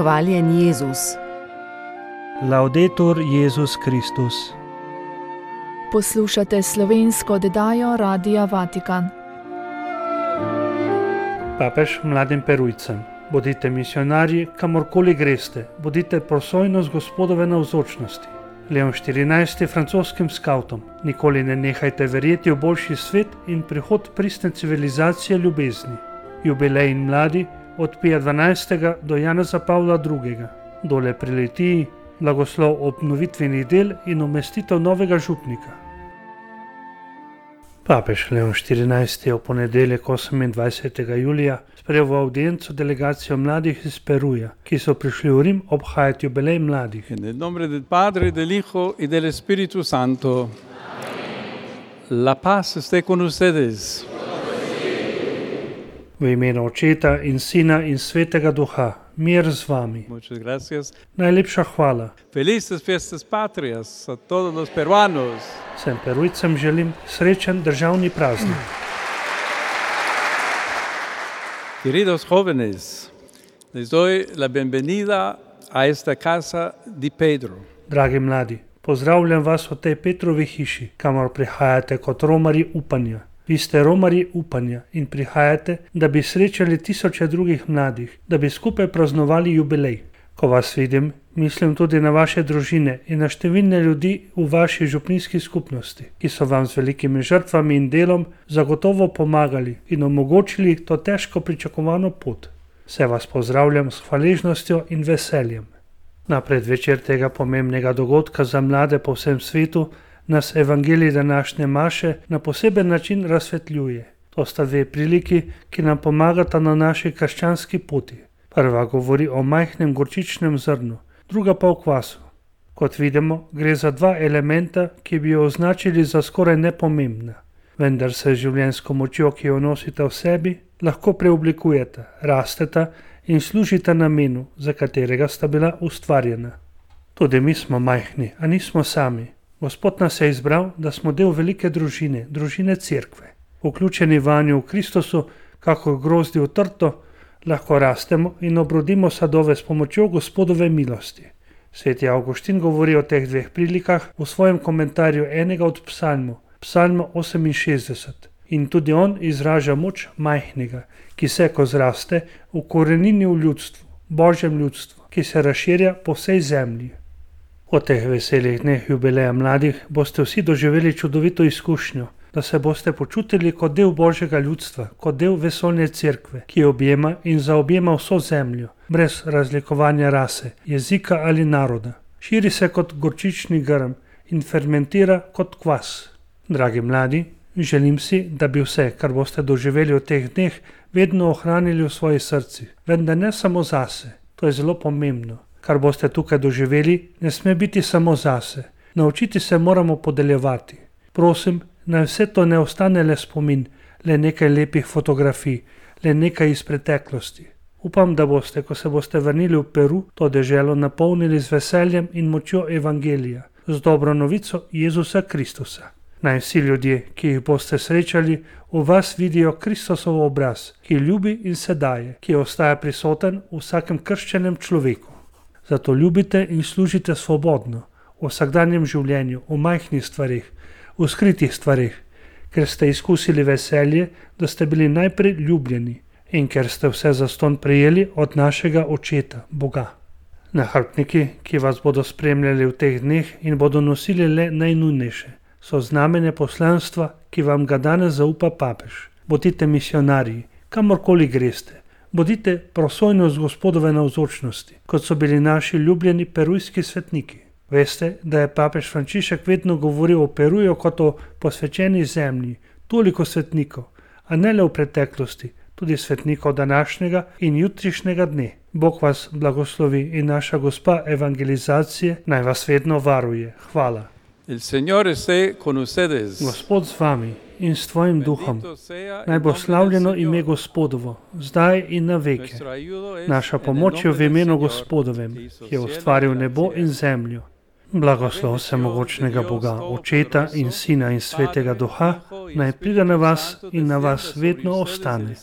Hvaljen Jezus. Laudetur Jezus Kristus. Poslušate slovensko oddajo Radia Vatikan. Papež mladim Perujcem: bodite misionarji, kamorkoli greste, bodite prosojnost Gospodove navzočnosti. Leon XIV. Francoskim skavtom: nikoli ne nehajte verjeti v boljši svet in prihod pristne civilizacije ljubezni. Jubilej in mladi od Pija XII. Do Janeza Pavla II. Dole pri Litiji blagoslov obnovitvenih del in umestitev novega župnika. Papež Leon XIV. Je v ponedeljek 28. julija sprejel v avdienco delegacijo mladih iz Peruja, ki so prišli v Rim obhajati jubilej mladih. Nel nome del Padre, del Hijo y del Espíritu Santo. La paz esté con ustedes. V imenu Očeta in Sina in Svetega Duha, mir z vami. Muchas gracias. Najlepša hvala. Felices fiestas patrias a todos los peruanos. Vsem Perujcem želim srečen državni praznik. Queridos jóvenes, les doy la bienvenida a esta casa di Pedro. Dragi mladi, pozdravljam vas v tej Petrovi hiši, kamor prihajate kot romarji upanja. Vi ste romarji upanja in prihajate, da bi srečali tisoče drugih mladih, da bi skupaj praznovali jubilej. Ko vas vidim, mislim tudi na vaše družine in na številne ljudi v vaši župnijski skupnosti, ki so vam z velikimi žrtvami in delom zagotovo pomagali in omogočili to težko pričakovano pot. Vse vas pozdravljam s hvaležnostjo in veseljem. Na predvečer tega pomembnega dogodka za mlade po vsem svetu nas evangelij današnje maše na poseben način razsvetljuje. To sta dve priliki, ki nam pomagata na naši krščanski poti. Prva govori o majhnem gorčičnem zrnu, druga pa o kvasu. Kot vidimo, gre za dva elementa, ki bi jo označili za skoraj nepomembna. Vendar se življenjsko močjo, ki jo nosite v sebi, lahko preoblikujeta, rasteta in služita namenu, za katerega sta bila ustvarjena. Tudi mi smo majhni, a nismo sami. Gospod nas je izbral, da smo del velike družine, družine Cerkve. Vključeni vanjo v Kristusu, kakor grozdi v trto, lahko rastemo in obrodimo sadove s pomočjo Gospodove milosti. Sveti Avguštin govori o teh dveh prilikah v svojem komentarju enega od psalmov, psalm 68. In tudi on izraža moč majhnega, ki se, ko zraste, ukorenini v ljudstvu, Božjem ljudstvu, ki se razširja po vsej zemlji. V teh veselih dneh jubileja mladih boste vsi doživeli čudovito izkušnjo, da se boste počutili kot del Božjega ljudstva, kot del vesoljne cerkve, ki objema in zaobjema vso zemljo, brez razlikovanja rase, jezika ali naroda. Širi se kot gorčični grm in fermentira kot kvas. Dragi mladi, želim si, da bi vse, kar boste doživeli v teh dneh, vedno ohranili v svojih srcih, vendar ne samo zase. To je zelo pomembno. Kar boste tukaj doživeli, ne sme biti samo zase. Naučiti se moramo podeljevati. Prosim, naj vse to ne ostane le spomin, le nekaj lepih fotografij, le nekaj iz preteklosti. Upam, da boste, ko se boste vrnili v Peru, to deželo napolnili z veseljem in močjo evangelija, z dobro novico Jezusa Kristusa. Naj vsi ljudje, ki jih boste srečali, v vas vidijo Kristusov obraz, ki ljubi in se daje, ki ostaja prisoten v vsakem krščenem človeku. Zato ljubite in služite svobodno, v vsakdanjem življenju, v majhnih stvarih, v skritih stvarih, ker ste izkusili veselje, da ste bili najprej ljubljeni in ker ste vse zastonj prejeli od našega Očeta, Boga. Nahrbtniki, ki vas bodo spremljali v teh dneh in bodo nosili le najnujnejše, so znamenje poslanstva, ki vam ga danes zaupa papež. Bodite misionarji, kamorkoli greste. Bodite prosojnost Gospodove navzočnosti, kot so bili naši ljubljeni perujski svetniki. Veste, da je papež Frančišek vedno govoril o Peruju kot o posvečeni zemlji, toliko svetnikov, a ne le v preteklosti, tudi svetnikov današnjega in jutrišnjega dne. Bog vas blagoslovi in naša gospa evangelizacije naj vas vedno varuje. Hvala. El Señor esté con ustedes. Gospod z vami in s tvojim duhom. Naj bo slavljeno ime Gospodovo, zdaj in na veke. Naša pomoč je v imenu Gospodovem, ki je ustvaril nebo in zemljo. Blagoslov vsemogočnega Boga, Očeta in Sina in Svetega Duha, naj pride na vas in na vas vedno ostane.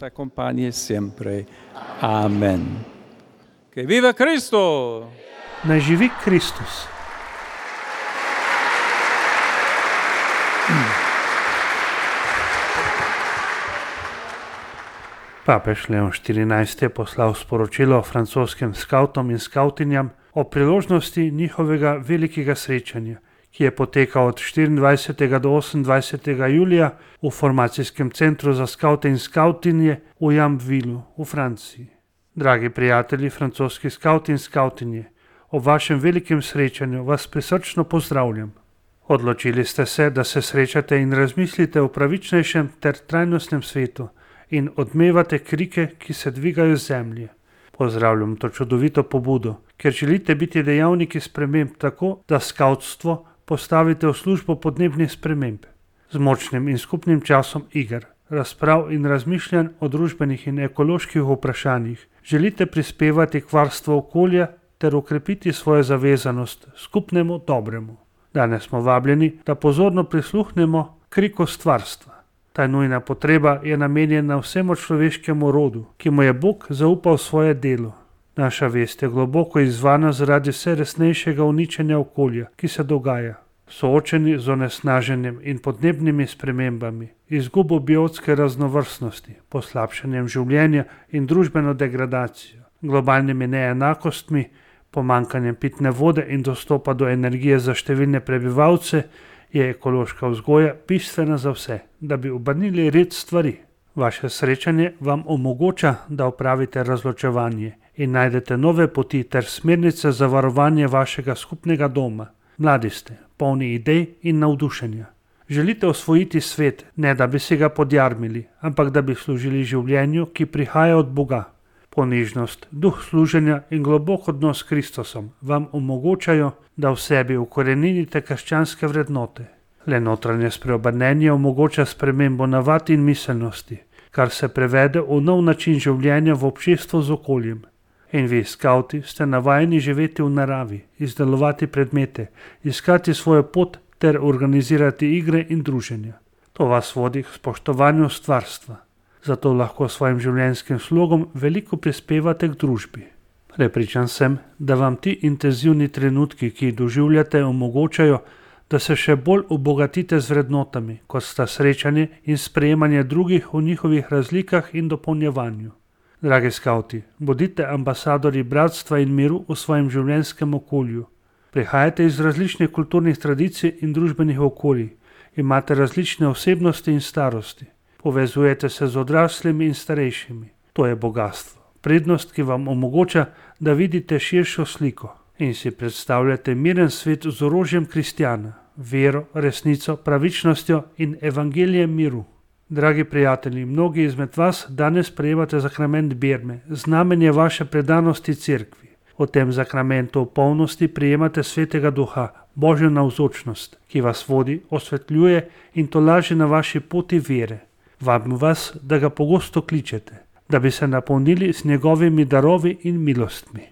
Amen. Que viva Cristo! Naj živi Kristus. Papež Leon XIV. Je poslal sporočilo francoskim skavtom in skavtinjam o priložnosti njihovega velikega srečanja, ki je potekal od 24. do 28. julija v formacijskem centru za skavte in skavtinje v Jamvillu v Franciji. Dragi prijatelji, francoski skavti in skavtinje, ob vašem velikem srečanju vas prisrčno pozdravljam. Odločili ste se, da se srečate in razmislite o pravičnejšem ter trajnostnem svetu in odmevate krike, ki se dvigajo z zemlje. Pozdravljam to čudovito pobudo, ker želite biti dejavniki sprememb tako, da skavtstvo postavite v službo podnebnih sprememb. Z močnim in skupnim časom iger, razprav in razmišljanj o družbenih in ekoloških vprašanjih želite prispevati k varstvu okolja ter okrepiti svojo zavezanost skupnemu dobremu. Danes smo vabljeni, da pozorno prisluhnemo kriku stvarstva. Ta nujna potreba je namenjena vsemu človeškemu rodu, ki mu je Bog zaupal svoje delo. Naša vest je globoko izzvana zaradi vse resnejšega uničenja okolja, ki se dogaja. Soočeni z onesnaženjem in podnebnimi spremembami, izgubo biotske raznovrstnosti, poslabšanjem življenja in družbeno degradacijo, globalnimi neenakostmi, pomanjkanjem pitne vode in dostopa do energije za številne prebivalce, je ekološka vzgoja bistvena za vse, da bi obrnili red stvari. Vaše srečanje vam omogoča, da opravite razločevanje in najdete nove poti ter smernice za varovanje vašega skupnega doma. Mladi ste, polni idej in navdušenja. Želite osvojiti svet, ne da bi si ga podjarmili, ampak da bi služili življenju, ki prihaja od Boga. Ponižnost, duh služenja in globok odnos s Kristusom vam omogočajo, da v sebi ukoreninite krščanske vrednote. Le notranje spreobrnenje omogoča spremembo navad in miselnosti, kar se prevede v nov način življenja v občestvu z okoljem. In vi, skavti, ste navajeni živeti v naravi, izdelovati predmete, iskati svojo pot ter organizirati igre in druženja. To vas vodi k spoštovanju stvarstva. Zato lahko svojim življenjskim slogom veliko prispevate k družbi. Prepričan sem, da vam ti intenzivni trenutki, ki jih doživljate, omogočajo, da se še bolj obogatite z vrednotami, kot sta srečanje in sprejemanje drugih v njihovih razlikah in dopolnjevanju. Dragi skavti, bodite ambasadorji bratstva in miru v svojem življenjskem okolju. Prihajate iz različnih kulturnih tradicij in družbenih okolij, imate različne osebnosti in starosti. Povezujete se z odraslimi in starejšimi. To je bogatstvo, prednost, ki vam omogoča, da vidite širšo sliko in si predstavljate miren svet z orožjem kristjana, vero, resnico, pravičnostjo in evangelijem miru. Dragi prijatelji, mnogi izmed vas danes prejemate sakrament birme, znamenje vaše predanosti cerkvi. V tem sakramentu v polnosti prejemate svetega duha, Božjo navzočnost, ki vas vodi, osvetljuje in tolaži na vaši poti vere. Vabim vas, da ga pogosto kličete, da bi se napolnili z njegovimi darovi in milostmi.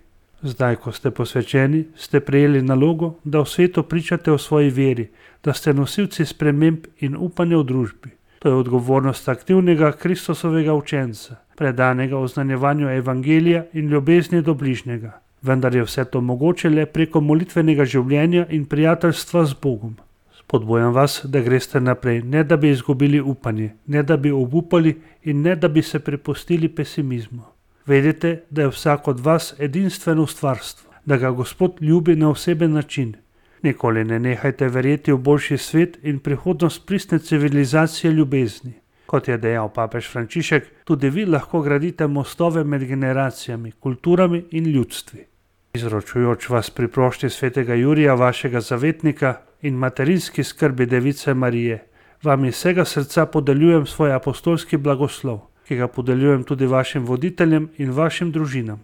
Zdaj, ko ste posvečeni, ste prejeli nalogo, da v svetu pričate o svoji veri, da ste nosilci sprememb in upanja v družbi. To je odgovornost aktivnega Kristusovega učenca, predanega oznanjevanju evangelija in ljubezni do bližnjega. Vendar je vse to mogoče le preko molitvenega življenja in prijateljstva z Bogom. Spodbujam vas, da greste naprej, ne da bi izgubili upanje, ne da bi obupali in ne da bi se prepustili pesimizmu. Vedite, da je vsak od vas edinstveno stvarstvo, da ga Gospod ljubi na oseben način. Nikoli ne nehajte verjeti v boljši svet in prihodnost pristne civilizacije ljubezni. Kot je dejal papež Frančišek, tudi vi lahko gradite mostove med generacijami, kulturami in ljudstvi. Izročujoč vas priprošti svetega Jurija, vašega zavetnika, in materinski skrbi Device Marije, vam iz vsega srca podeljujem svoj apostolski blagoslov, ki ga podeljujem tudi vašim voditeljem in vašim družinam.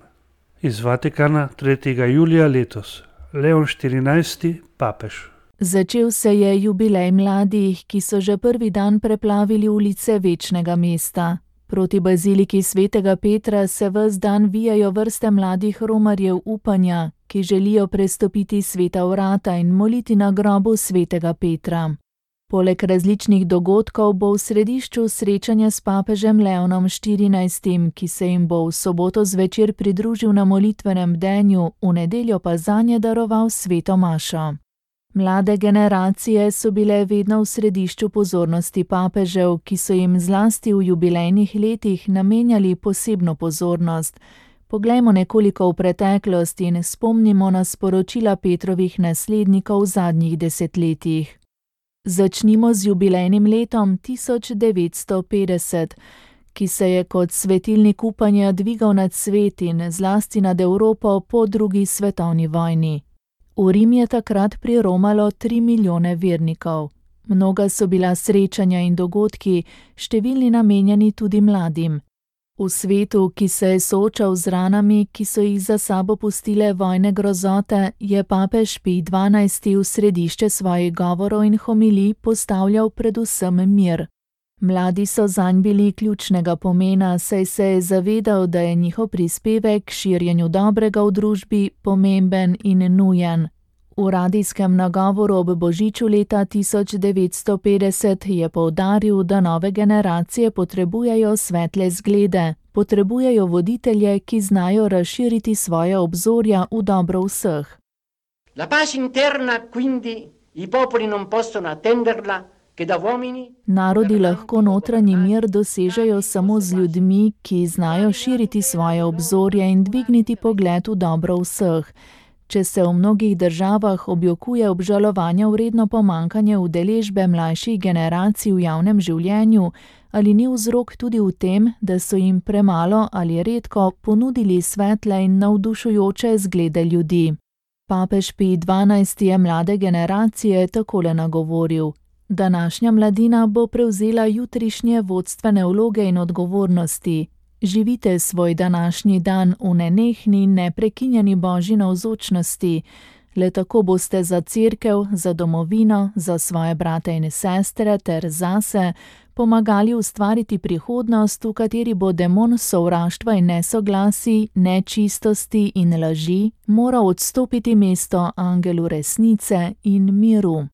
Iz Vatikana 3. julija letos. Leon XIV. Papež. Začel se je jubilej mladih, ki so že prvi dan preplavili ulice večnega mesta. Proti baziliki svetega Petra se ves dan vijajo vrste mladih romarjev upanja, ki želijo prestopiti sveta vrata in moliti na grobu svetega Petra. Poleg različnih dogodkov bo v središču srečanje s papežem Leonom XIV, ki se jim bo v soboto zvečer pridružil na molitvenem bdenju, v nedeljo pa zanje daroval sveto mašo. Mlade generacije so bile vedno v središču pozornosti papežev, ki so jim zlasti v jubilejnih letih namenjali posebno pozornost. Poglejmo nekoliko v preteklost in spomnimo na sporočila Petrovih naslednikov v zadnjih desetletjih. Začnimo z jubilejnim letom 1950, ki se je kot svetilnik upanja dvigal nad svet in zlasti nad Evropo po drugi svetovni vojni. V Rim je takrat priromalo 3 milijone vernikov. Mnoga so bila srečanja in dogodki, številni namenjeni tudi mladim. V svetu, ki se je soočal z ranami, ki so jih za sabo pustile vojne grozote, je papež Pij XII v središče svojih govorov in homilij postavljal predvsem mir. Mladi so zanj bili ključnega pomena, saj se je zavedal, da je njihov prispevek k širjenju dobrega v družbi pomemben in nujen. V radijskem nagovoru ob božiču leta 1950 je poudaril, da nove generacije potrebujejo svetle zglede, potrebujejo voditelje, ki znajo razširiti svoje obzorja v dobro vseh. La pace interna, quindi, i popoli non possono attenderla. Narodi lahko notranji mir dosežejo samo z ljudmi, ki znajo širiti svoje obzorje in dvigniti pogled v dobro vseh. Če se v mnogih državah objokuje obžalovanja vredno pomanjkanje udeležbe mlajših generacij v javnem življenju, ali ni vzrok tudi v tem, da so jim premalo ali redko ponudili svetle in navdušujoče zglede ljudi. Papež Pij XII je mlade generacije takole nagovoril: današnja mladina bo prevzela jutrišnje vodstvene vloge in odgovornosti. Živite svoj današnji dan v nenehni, neprekinjeni Božji navzočnosti. Le tako boste za cerkev, za domovino, za svoje brate in sestre ter zase pomagali ustvariti prihodnost, v kateri bo demon sovraštva in nesoglasij, nečistosti in laži moral odstopiti mesto angelu resnice in miru.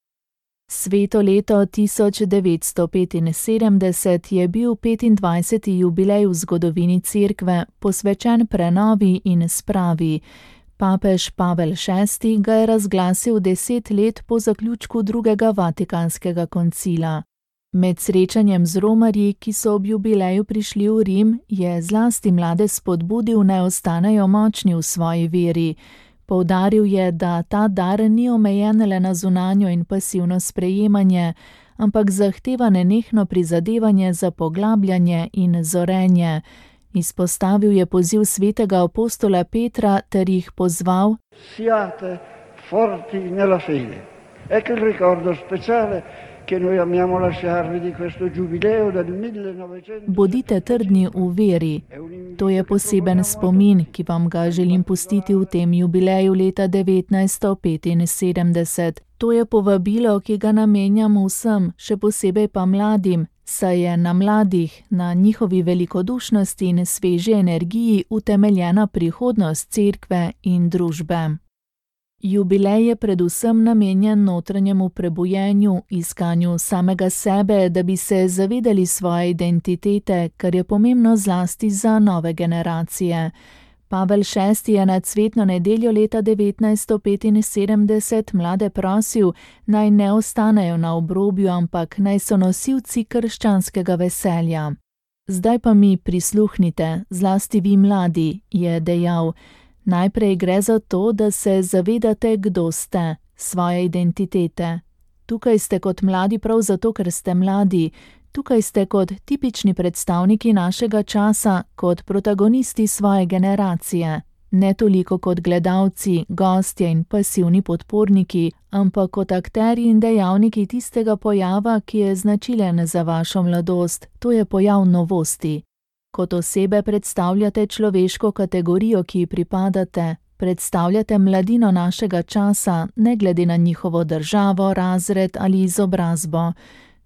Sveto leto 1975 je bil 25. jubilej v zgodovini cerkve, posvečen prenovi in spravi. Papež Pavel VI ga je razglasil 10 let po zaključku drugega Vatikanskega koncila. Med srečanjem z romarji, ki so ob jubileju prišli v Rim, je zlasti mlade spodbudil, naj ostanejo močni v svoji veri. Poudaril je, da ta dar ni omejen le na zunanjo in pasivno sprejemanje, ampak zahteva nenehno prizadevanje za poglabljanje in zorenje. Izpostavil je poziv svetega apostola Petra ter jih pozval: Siate forti nella fede. Ecco il ricordo speciale che noi amiamo lasciarvi di questo giubileo del 1900. Bodite trdni v veri. To je poseben spomin, ki vam ga želim pustiti v tem jubileju leta 1975. To je povabilo, ki ga namenjam vsem, še posebej pa mladim, saj je na mladih, na njihovi velikodušnosti in sveži energiji utemeljena prihodnost cerkve in družbe. Jubilej je predvsem namenjen notranjemu prebujenju, iskanju samega sebe, da bi se zavedali svoje identitete, kar je pomembno zlasti za nove generacije. Pavel VI je na cvetno nedeljo leta 1975 mlade prosil, naj ne ostanejo na obrobju, ampak naj so nosilci krščanskega veselja. Zdaj pa mi prisluhnite, zlasti vi mladi, je dejal. Najprej gre za to, da se zavedate, kdo ste, svoje identitete. Tukaj ste kot mladi prav zato, ker ste mladi. Tukaj ste kot tipični predstavniki našega časa, kot protagonisti svoje generacije. Ne toliko kot gledalci, gostje in pasivni podporniki, ampak kot akterji in dejavniki tistega pojava, ki je značilen za vašo mladost, to je pojav novosti. Kot osebe predstavljate človeško kategorijo, ki ji pripadate, predstavljate mladino našega časa, ne glede na njihovo državo, razred ali izobrazbo.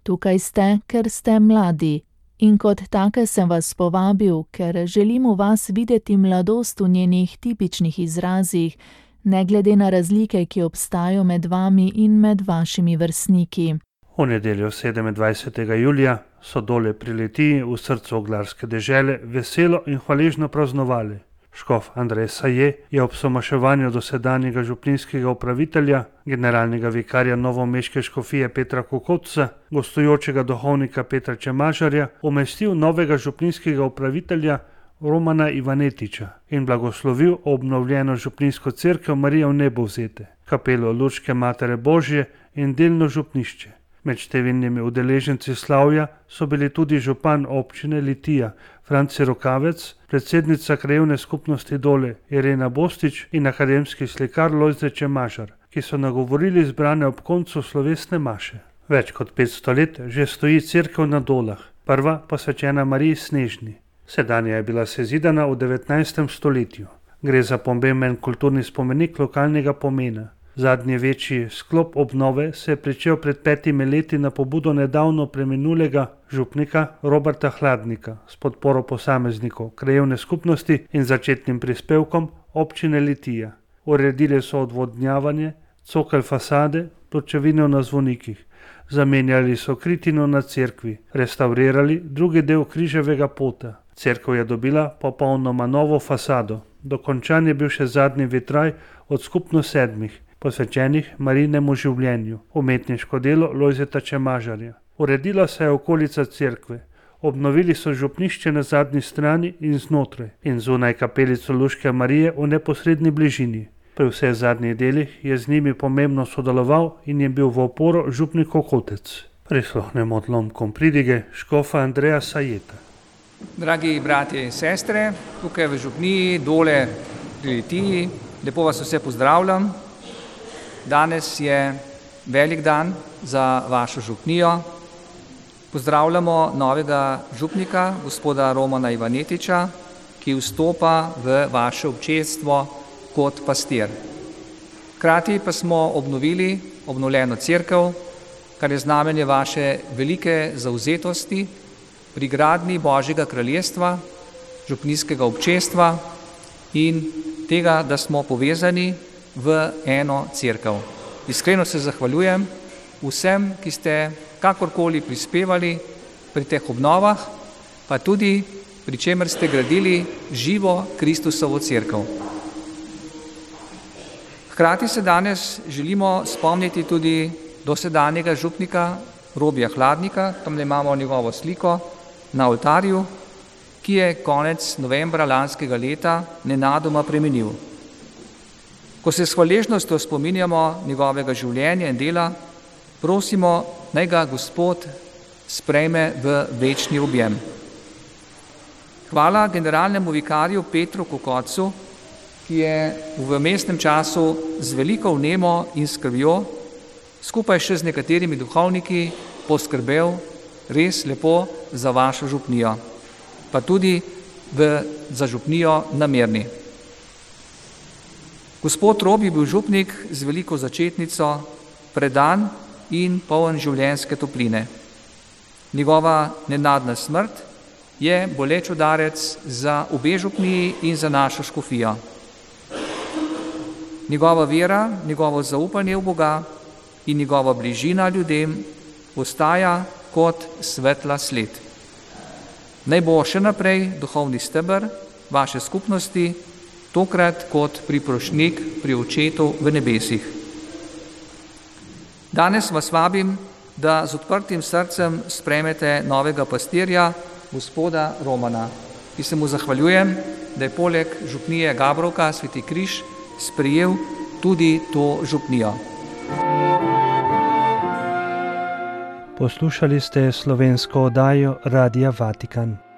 Tukaj ste, ker ste mladi. In kot take sem vas povabil, ker želim v vas videti mladost v njenih tipičnih izrazih, ne glede na razlike, ki obstajajo med vami in med vašimi vrstniki. V nedeljo 27. julija so dole pri Litiji v srcu oglarske dežele veselo in hvaležno praznovali. Škof Andrej Saje je ob somaševanju dosedanjega župnijskega upravitelja, generalnega vikarja novomeške škofije Petra Kokotca, gostujočega duhovnika Petra Čemažarja, umestil novega župnijskega upravitelja Romana Ivanetiča in blagoslovil obnovljeno župnijsko cerkev Marija v Nebovzete, kapelo Lučke Matere Božje in delno župnišče. Med številnimi udeleženci slavja so bili tudi župan občine Litija Franci Rokavec, predsednica krajevne skupnosti Dole Irena Bostič in akademski slikar Lojze Čemažar, ki so nagovorili zbrane ob koncu slovesne maše. Več kot 500 let že stoji cerkev na Dolah, prva posvečena Mariji Snežni. Sedanja je bila sezidana v 19. stoletju. Gre za pomemben kulturni spomenik lokalnega pomena. Zadnji večji sklop obnove se je pričel pred 5 leti na pobudo nedavno preminulega župnika Roberta Hladnika s podporo posameznikov, krajevne skupnosti in začetnim prispevkom občine Litija. Uredili so odvodnjavanje, cokelj fasade, pločevine na zvonikih, zamenjali so kritino na cerkvi, restavrirali drugi del križevega pota. Cerkev je dobila popolnoma novo fasado. Dokončan je bil še zadnji vitraj od skupno 7, posvečenih Marijinemu življenju, umetniško delo Lojzeta Čemažarja. Uredila se je okolica cerkve, obnovili so župnišče na zadnji strani in znotraj in zunaj kapelico Luške Marije v neposredni bližini. Pri vseh zadnjih delih je z njimi pomembno sodeloval in je bil v oporo župnik Kokotec. Prisluhnemo odlomkom pridige škofa Andreja Sajeta. Dragi bratje in sestre, tukaj v župniji Dole pri Litiji, lepo vas vse pozdravljam. Danes je velik dan za vašo župnijo. Pozdravljamo novega župnika, gospoda Romana Ivanetiča, ki vstopa v vaše občestvo kot pastir. Hkrati pa smo obnovili obnovljeno cerkev, kar je znamenje vaše velike zavzetosti pri gradnji Božjega kraljestva, župnijskega občestva in tega, da smo povezani v eno cerkev. Iskreno se zahvaljujem vsem, ki ste kakorkoli prispevali pri teh obnovah, pa tudi pri čemer ste gradili živo Kristusovo cerkev. Hkrati se danes želimo spomniti tudi dosedanjega župnika Robija Hladnika, tam imamo njegovo sliko na oltarju, ki je konec novembra lanskega leta nenadoma preminil. Ko se s hvaležnostjo spominjamo njegovega življenja in dela, prosimo, naj ga Gospod sprejme v večni objem. Hvala generalnemu vikarju Petru Kokotcu, ki je v vmesnem času z veliko vnemo in skrbjo, skupaj še z nekaterimi duhovniki, poskrbel res lepo za vašo župnijo, pa tudi za župnijo na Mirni. Gospod Robi bil župnik z veliko začetnico, predan in poln življenjske topline. Njegova nenadna smrt je boleč udarec za obe župniji in za našo škofijo. Njegova vera, njegovo zaupanje v Boga in njegova bližina ljudem ostaja kot svetla sled. Naj bo še naprej duhovni steber vaše skupnosti, tokrat kot priprošnjik pri Očetu v nebesih. Danes vas vabim, da z odprtim srcem sprejmete novega pastirja, gospoda Romana, ki se mu zahvaljujem, da je poleg župnije Gabrovka Sveti Križ sprejel tudi to župnijo. Poslušali ste slovensko oddajo Radia Vatikan.